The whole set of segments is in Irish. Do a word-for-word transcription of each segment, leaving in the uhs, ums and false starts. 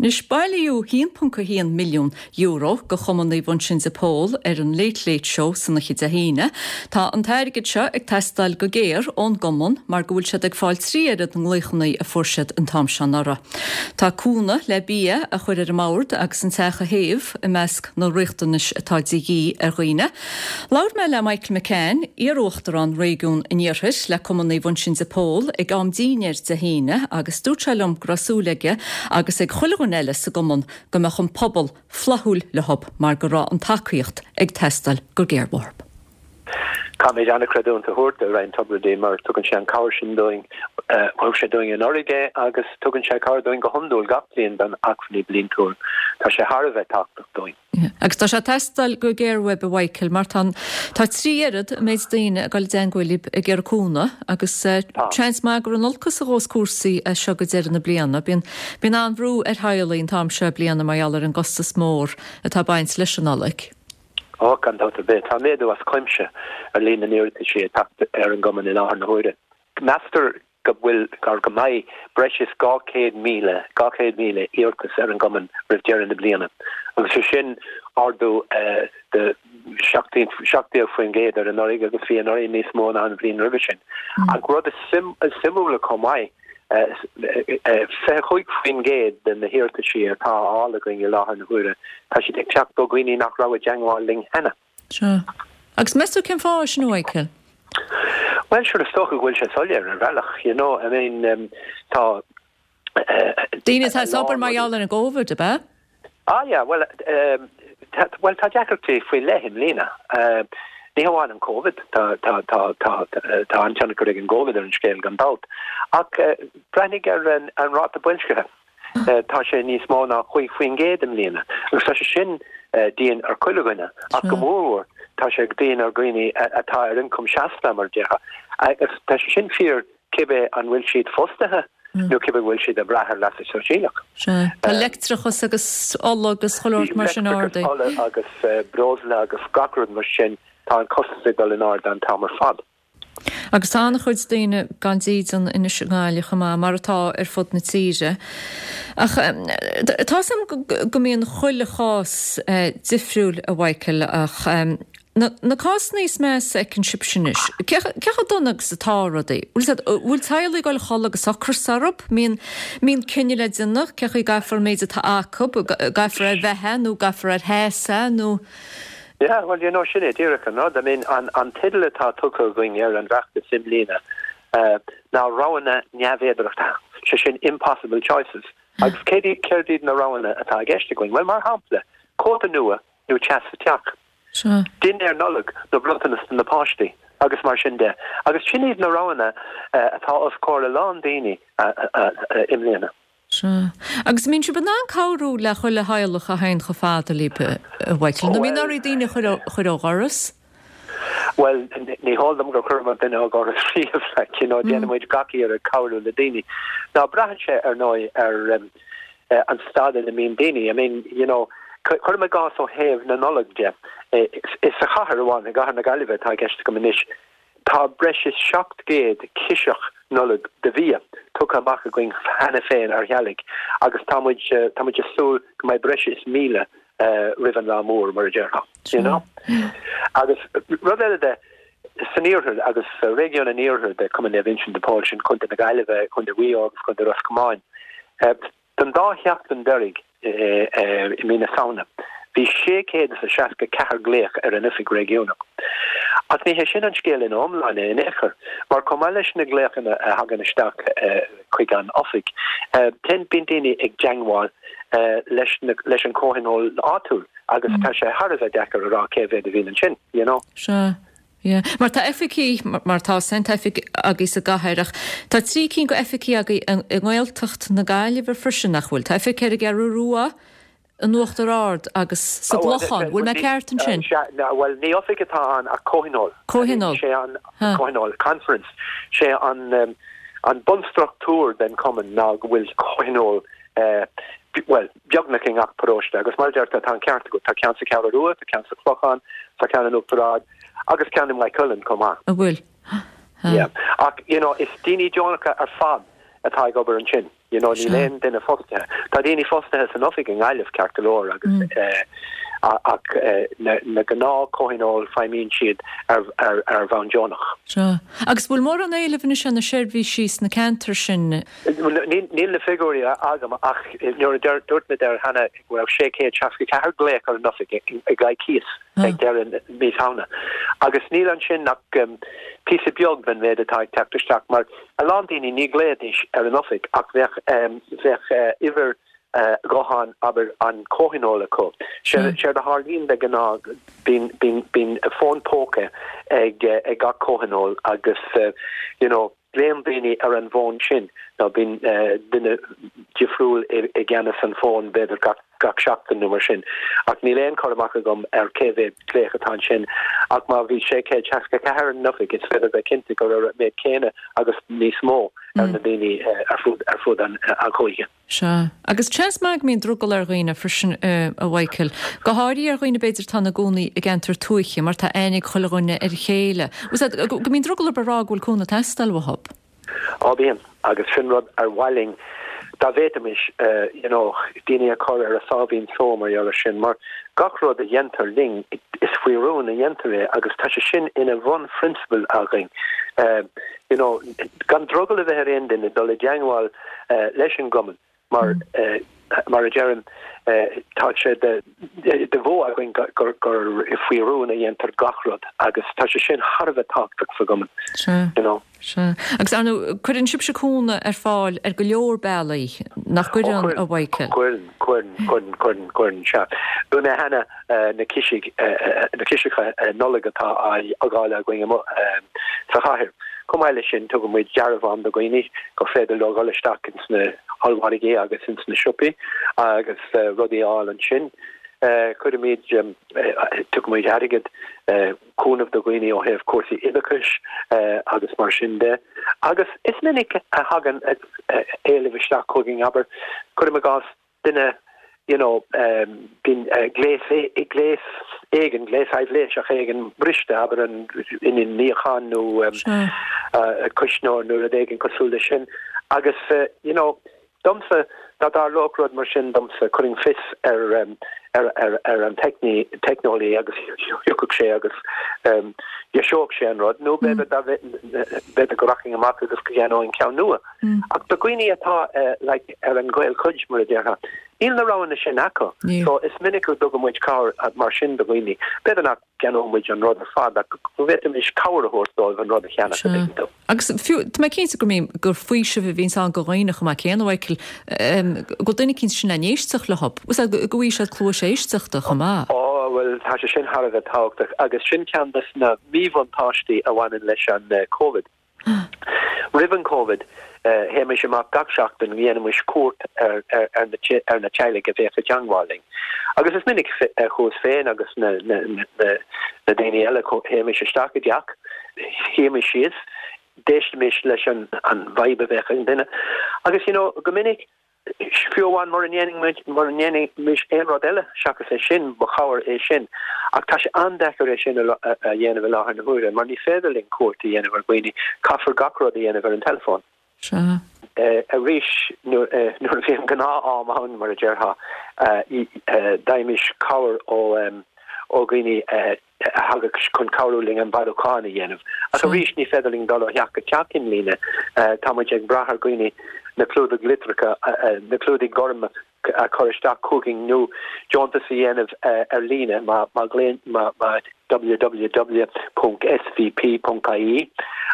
Anois bailíodh haon ponc a haon milliún euro go Chumann Naomh Uinseann de Pól ar an Late Late Show san oíche Dé hAoine. Tá an t-airgead seo ag teastáil go géar ón gcumann mar go bhfuil siad ag fáil trí oiread na nglaochanna a fuair siad an t-am seo anuraidh. Tá cúnamh le bia a chur ar an mbord agus an teach a théamh i measc na riachtanais atá de dhíth ar dhaoine. Labhair mé le Michael McCann, iar-uachtarán réigiún an Iarthair le Cumann Naomh Uinseann de Pól ag am dinnéir Dé hAoine agus dúirt sé liom go raibh súil aige agus ag chuile dhuine eile sa gcumann go mbeadh an pobal flaithiúil leo mar go raibh an tacaíocht ag teastáil go géar uathu. Caithfimid an-chreidiúint a thabhairt do Ryan Tubridy mar tugann sé an cabhair sin dúinn thug sé dúinn anuraidh é agus tugann sé cabhair dúinn go hiondúil gach bliain don acmhainní bliantúil. Tá sé thar a bheith tábhachtach dúinn. Agus tá sé ag teastáil go géar uaibh a Mhichael mar tá tá trí oiread an méid daoine ag dul i dteagmháil libh ag iarraidh cúnamh agus seans maith gur in olcas a ghabhfas cúrsaí as seo go deireadh na bliana. Bíonn bíonn an-bhrú ar theaghlaigh an t-am seo bliana mar gheall ar an gcostas mór atá ag baint leis an Nollaig. Ó gan dabht ar bith tá méadú as cuimse ar líon na n-iarrataisí atá ar an gcumann i láthair na huaire. Meastar go bhfuil gar go mbeidh breis is dhá chéad míle dhá chéad míle iarratas ar an gcumann roimh deireadh na bliana. Agus sé sin ardú de seacht déag faoin gcéad ar anuraidh agus bhí anuraidh níos mó ná an bhliain roimhe sin. Ach rud is suimiúla chomh maith fiche cúig faoin gcéad de na hiarrataisí atá á fháil againn i láthair na huaire, tá siad ag teacht ó dhaoine nach raibh i dteagmháil linn cheana. Sea. Agus meas tú cén fáth sin, a Mhichael? Well sure is dócha go bhfuil sé soiléir ar bhealach, you know, I mean um, tá Daoine atá as obair mar gheall ar an gCovid, ab ea? Ah yeah, well um, tá, well tá deacrachtaí faoi leith i mbliana. Uh, ní hamháin an Covid tá tá tá tá tá an-tionchar ag an gCovid ar an scéal gan dabht. Ach uh, breathnaigh ar an, an ráta boilscithe. Uh, tá sé níos mó ná cúig faoin gcéad i mbliana. Agus tá sé sin uh, dian ar chuile dhuine ach go mór tá sé dian ar dhaoine atá ar ioncam seasta mar déarfá. Agus tá sé sin fíor cibé an bhfuil siad fostaithe nó cibé bhfuil siad ag brath ar leasú sóisialach. Tá leictreachas agus ola agus chuile shórt mar sin ardaithe. Ola agus breosla agus gach rud mar sin tá an costas ag dul in airde an t-am ar fad. Agus tá an-chuid daoine gan dídean anois i nGaillimh chomh maith mar atá ar fud na tíre. Ach tá a fhios agam go mbíonn chuile chás difriúil a Mhichael ach na na cásanna is measa a fheiceann sibhse anois. Cé chomh dona agus atá rudaí? Bhfuil teaghlaigh ag dul a chodladh agus ocras orthu? Mbíonn mbíonn cinneadh le déanamh cé chaoi gcaithfear an méid atá acu, gcaithfear ar bheatha nó gcaithfear ar theas é nó Yeah, well you know sin é díreach an rud. I mean an an teideal atá tugtha againn ar an bhfeachtas i mbliana uh, ná roghanna neamhfhéideartha, sé sin impossible choices. Agus céard céard iad na roghanna atá i gceist againn? Well mar shampla, cóta nua nó teas sa teach. Sea. Dinnéar Nollag nó bronntanas do na páistí agus mar sin de. Agus sin iad na roghanna uh, atá os comhair a lán daoine uh, uh, uh, i mbliana. Sea. Agus mbíonn sibh in ann cabhrú le chuile theaghlach a théann chomh fada libh a Mhichael, nó mbíonn oraibh daoine a chur ó dhoras? Well ní heol dom gur chuireamar duine ó dhoras riamh like, you know, déanaimid gach iarracht cabhrú le daoine. Ná braitheann sé ar ndóigh ar um, uh, an staid ina mbíonn daoine. I mean, you know, cuirim i gcás ó thaobh na Nollag de. Is sa chathair amháin i gcathair na Gaillimhe atá i gceist agam anois. Tá breis is seacht gcéad ciseach Nollag de bhia tugtha amach againn cheana féin ar theaghlaigh agus tá muid tá muid ag súil go mbeidh breis is míle uh, roimh an lá mór mar a déarfá. You know? Agus rud eile de san iarthar agus sa réigiún an iarthair de Cumann Naomh Uinseann de Pól sin Contae na Gaillimhe, Contae Mhaigh Eo agus Contae Ros Comáin. Uh, don dá sheachtain deiridh i mí na Samhna. Bhí sé chéad is a seasca ceathair glaoch ar an oifig réigiúnach. Ach ní hé sin an scéal ina iomláine in aon chor, mar chomh maith leis na glaochanna a thagann isteach chuig an oifig, bíonn daoine ag teagmháil leis leis an comhthionól áitiúil agus tá sé thar a bheith deacair a rá cé mhéad a bhíonn ansin, you know. Sea. Yeah. Mar tá oifigí mar tá san oifig agaibh sa gcathair ach tá trí cinn go oifigí agaibh i nGaeltacht na Gaillimhe freisin nach bhfuil. Tá oifig ar an gCeathrú Rua, in Uachtar Ard agus sa gClochán. Bhfuil mé ceart ansin? Well ní oifig atá ann ach comhthionól. Comhthionól. Sé an comhthionól conference. Sé an um, an bunstruchtúr den cumann ná go bhfuil comhthionól uh, well beagnach i ngach paróiste agus mar deirtear tá an ceart agat tá ceann sa Cheathrú Rua, tá ceann sa Chlochán, tá ceann in Uachtar Ard agus ceann i Maigh Cuilinn chomh maith. A bhfuil. Yeah. Ach you know, is daoine deonacha ar fad atá ag obair ansin. You know, níl aon duine fostaithe. Tá daoine fostaithe san oifig i nGaillimh ceart go leor agus mm. eh, ach eh, na, na gnáth comhthionóil feidhmíonn siad ar, ar, ar bhonn deonach. Sea. Agus bhfuil mórán éilimh anois ar na seirbhísí sna ceantair sin? Níl na figiúirí agam ach nuair a dúirt mé duit cheana go raibh sé chéad seasca ceathair glaoch ar an oifig i gcoicís ag deireadh mí Samhna. Agus níl ansin ach um, píosa beag den mhéid atá ag teacht isteach mar a lán daoine ní ghlaofaidís ar an oifig ach bheadh um, bheadh uh, uimhir uh, gutháin abair an comhthionól acu. Séard a tharlaíonn de ghnáth bíonn bíonn fón póca ag uh, ag gach comhthionól agus uh, you know, glaonn daoine ar an bhfón sin nó bíonn uh, duine difriúil i gceannas an fón b'fhéidir gach gach seachtain nó mar sin. Ach níl aon chur amach agam ar cé mhéad glaoch atá ansin ach má bhí sé chéad seasca ceathair an oifig is féidir bheith cinnte go raibh méid céanna agus níos mó ar na daoine ar fud ar fud an an chúige. Sea. Agus seans maith go mbíonn drogall ar dhaoine freisin a Mhichael. Go háirithe ar dhaoine b'fhéidir atá ina gcónaí i gceantar tuaithe mar tá aithne ag chuile dhuine ar a chéile. Go mbíonn drogall orthu a rá go bhfuil cúnamh ag teastáil uathu. Á bíonn agus sin rud ar mhaith linn dá bhféadfaimis uh, you know, daoine a chur ar a sáimhín só mar gheall sin mar gach rud a dhéantar linn is faoi rún a dhéantar é agus tá sé sin ina bhunphrionsabal againn. Uh, you know, gan drogall a bheith ar aon duine dul i dteagmháil uh, leis an gcumann mar mm. uh, mar a deirim uh, tá sé de de mhodh againn gur gur faoi rún a dhéantar gach rud agus tá sé sin thar a bheith tábhachtach sa gcumann. You know. Sea. Agus ar ndóigh cuireann sibhse cúnamh ar fáil ar go leor bealaí nach gcuireann a Mhichael. Cuireann cuireann cuireann cuireann cuireann sea. Luaigh mé cheana na ciseacha na ciseacha Nollag atá á ndáileadh againn sa chathair. Chomh maith leis sin tugann muid dearbhán do dhaoine gur féidir leo dul isteach ins na hollmhargaí agus ins na siopaí agus uh, rudaí a fháil ansin. Uh, Cuirimid um, uh, tugaimid airgead uh, cúnamh do dhaoine ó thaobh cúrsaí oideachais uh, agus mar sin de. Agus is minic a thagann éileamh isteach chugainn abair cuirim i gcás duine you know um, bíonn uh, gléas é gléas éigin gléas aibhléiseach éigin briste abair an inneall níocháin nó um, uh, cuisneoir nó rud éigin cosúil le sin agus uh, you know domsa dá dtarlódh rud mar sin domsa chuirfinn fios ar um, ar ar ar an teicní teicneolaí agus thiocfadh sé agus um, dheiseodh sé an rud nó b'fhéidir b'fhéidir go rachainn amach agus go gceannóinn ceann nua. Mm. Ach do dhaoine atá uh, like, ar an gcaolchuid mar a déarfá. Níl na roghanna sin acu. So is minic go dtugann muid cabhair mar sin do dhaoine. B'fhéidir nach gceannódh muid an rud ar fad ach go bhféadfaimis cabhair a thabhairt dóibh an rud a cheannach. Agus fiú tá mé cinnte go mbíonn gur faoiseamh a bhíonn ann do dhaoine chomh maith céanna Mhichael go bhfuil duine eicínt sin le n-éisteacht leo, go bhfaighidh siad cluas éisteachta chomh maith. Ó well tá sé sin thar a bheith tábhachtach agus sin ceann de na míbhuntáistí a bhaineann leis an uh, COVID. Roimh an COVID uh, théimis amach gach seachtain dhéanaimis cuairt ar, ar, ar, na, ar na teaghlaigh a bheadh i dteagmháil linn. Agus is minic uh, chuas féin agus na, na, na, na, na daoine eile théimis isteach i dteach, shuímis síos, d'éistimis leis an, an vibe a bheadh ag an duine. Agus you know, go minic fiú amháin mura ndéanfaimis aon rud eile seachas é sin ba chabhair é sin. Ach tá sé an-deacair é sin a dhéanamh i láthair na huaire, mar ní féidir linn cuairt a dhéanamh ar dhaoine caithfear gach rud a dhéanamh ar an telefón. Sea. Arís nuair a bhí an gnáth-am ann mar a déarfá d'fhaighimis cabhair ó ó dhaoine a thagadh chun cabhrú linn an bailiúchán a dhéanamh. Ach arís ní féidir linn dul ó theach go teach i mbliana tá muid ag brath ar dhaoine na clúdaigh litreacha na clúdaigh gorma a chur isteach chugainn nó deontas a dhéanamh ar líne má má má má www.svp.ie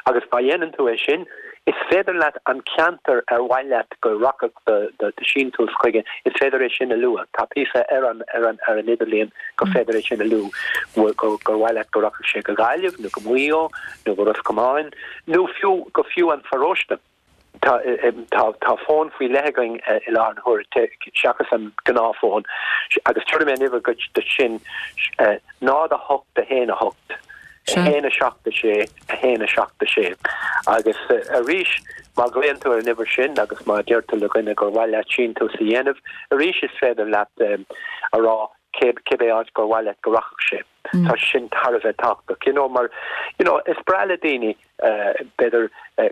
agus má dhéanann tú é sin is féidir leat an ceantar ar mhaith leat go rachadh do síntiús chuige is féidir é sin a lua tá píosa ar an ar an ar an idirlíon go féidir é sin a lua go gur mhaith leat go rachadh sé go Gaillimh nó go Maigh Eo nó go Ros Comáin nó fiú go fiú an pharóiste. Tá tá tá fón faoi leith againn i láthair na huaire seachas an gnáthfhón agus tabharfaidh mé an uimhir duit de sin náid a hocht a haon a hocht a haon a seacht a sé a haon a seacht a sé agus arís má ghlaonn tú ar an uimhir sin agus má deir tú le dhuine gur mhaith leat síntiús a dhéanamh arís is féidir leat a rá cibé áit gur mhaith leat go rachadh sé. Tá sin thar a bheith tábhachtach, you know, mar you know, is breá le daoine b'fhéidir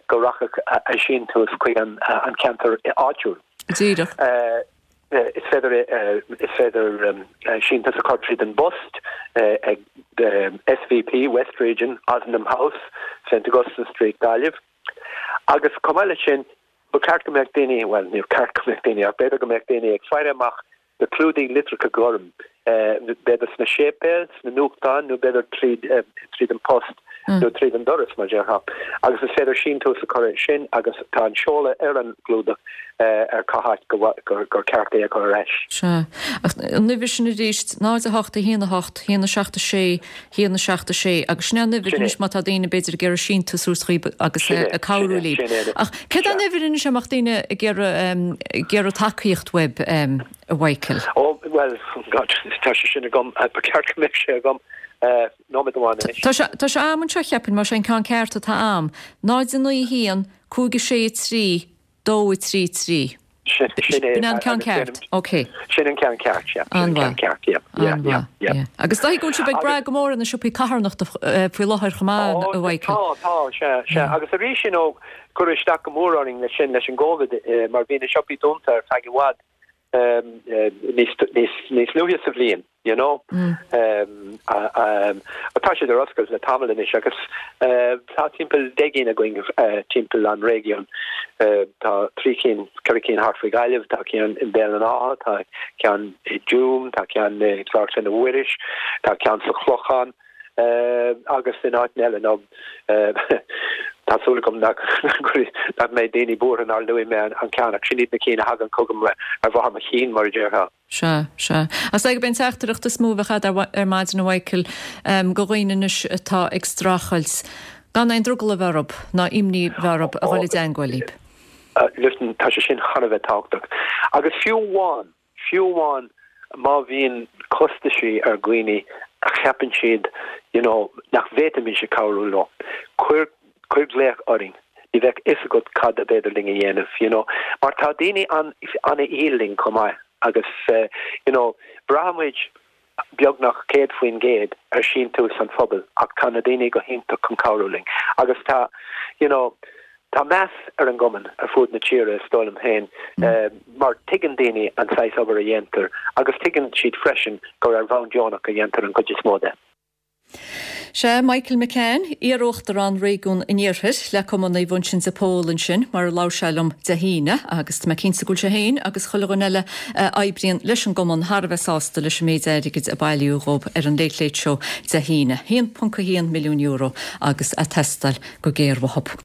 go rachadh a síntiús chuig an an ceantar áitiúil. Díreach. Is féidir is féidir síntiús a chur tríd an bpost ag SVP West Region, Ozanam House, St Augustine Street, Gaillimh. Agus chomh maith leis sin, ba cheart go mbeadh daoine, bhuel, níor cheart go mbeadh daoine, ach b'fhéidir go mbeadh daoine ag faire amach do chlúdaigh litreacha gorm, b'fhéidir sna séipéil, sna nuachtáin nó b'fhéidir tríd tríd an post nó tríd an doras, mar déarfá. Agus is féidir síntiús a chur sin agus tá an seoladh ar an gclúdach ar cá háit gur gur ceart é a chur ar ais. Sea. Ach an uimhir sin arís, náid a hocht, a haon a hocht, a haon a seacht a sé, a haon a seacht a sé, agus sin é an uimhir anois má tá daoine b'fhéidir ag iarraidh síntiús a thabhairt dhaoibh agus ag cabhrú libh. Ach céard é an uimhir anois a mbeadh daoine ag iarraidh ag iarraidh tacaíocht uaibh, a Mhichael? Ó, bhuel, God, tá sé sin agam, ba cheart go mbeadh sé agam nóiméad amháin anois. Tá sé tá sé a'm anseo cheapfainn, más é an ceann ceart atá a'm, náid a naoi a haon, cúig a sé a trí, dó a trí trí. Sin sin é. B'in an ceann ceart, ok. Sin an ceann ceart, yeah. Sin an ceann ceart, yeah, yeah, yeah, yeah. Agus dóigh go bhfuil sibh ag brath go mór ar na siopaí carthanachta faoi láthair chomh maith, a Mhichael. Tá, tá, sea, sea. Agus arís, you know, cuireadh isteach go mór orainn leis sin, leis an gCovid, mar bhí na siopaí dúnta ar feadh i bhfad níos níos níos luaithe sa bhliain, you know. Tá siad ar oscailt le tamall anois agus tá timpeall deich gcinn againn timpeall an réigiún. Tá trí cinn, ceithre cinn thart faoi Ghaillimh, tá ceann i mBéal an Átha, tá ceann i dTuaim, tá ceann i gClár Clainne Mhuiris, tá ceann sa Chlochán agus in áiteanna eile. Nó tá súil agam nach nach mbeidh daoine buartha nár luaigh mé an ceann ach sin iad na cinn a thagann chugam ar bharr mo chinn mar a déarfá. Sea, sea. Is dóigh gurb é an teachtaireacht is mó a bheadh agat ar maidin a Mhichael do dhaoine anois atá ag streachailt gan aon drogall a bheith orthu ná imní a bheith orthu a dhul i dteangmháil libh. Listen, tá sé sin thar a bheith tábhachtach. Agus fiú amháin, fiú amháin má bhíonn costaisí ar dhaoine a cheapann siad you know, nach bhféadfaimis cabhrú leo, cuir cuir glaoch orainn. Ní bheadh fhios agat cad ab fhéidir linn a dhéanamh, you know. Mar tá daoine an an-fhial linn chomh maith agus uh, you know, braithimid beagnach céad faoin gcéad ar síntiús an phobail ach tá na daoine go hiontach chun cabhrú linn. Agus tá you know, tá meas ar an gcumann ar fud na tíre is dóigh liom féin uh, mar tuigeann daoine an saghas obair a dhéantar agus tuigeann siad freisin gur ar bhonn deonach a dhéantar an chuid is mó de. Sea Michael McCann, iar-uachtarán réigiún an Iarthair le Cumann Naomh Uinseann de Pól ansin mar a labhair sé liom Dé hAoine agus tá mé cinnte go bhfuil sé féin agus chuile dhuine eile a oibríonn leis an gcumann thar a bheith sásta leis an méid airgid a bailíodh dhóibh ar an Late Late Show Dé hAoine. haon ponc a haon milliún euro agus ag teastáil go géar uathu.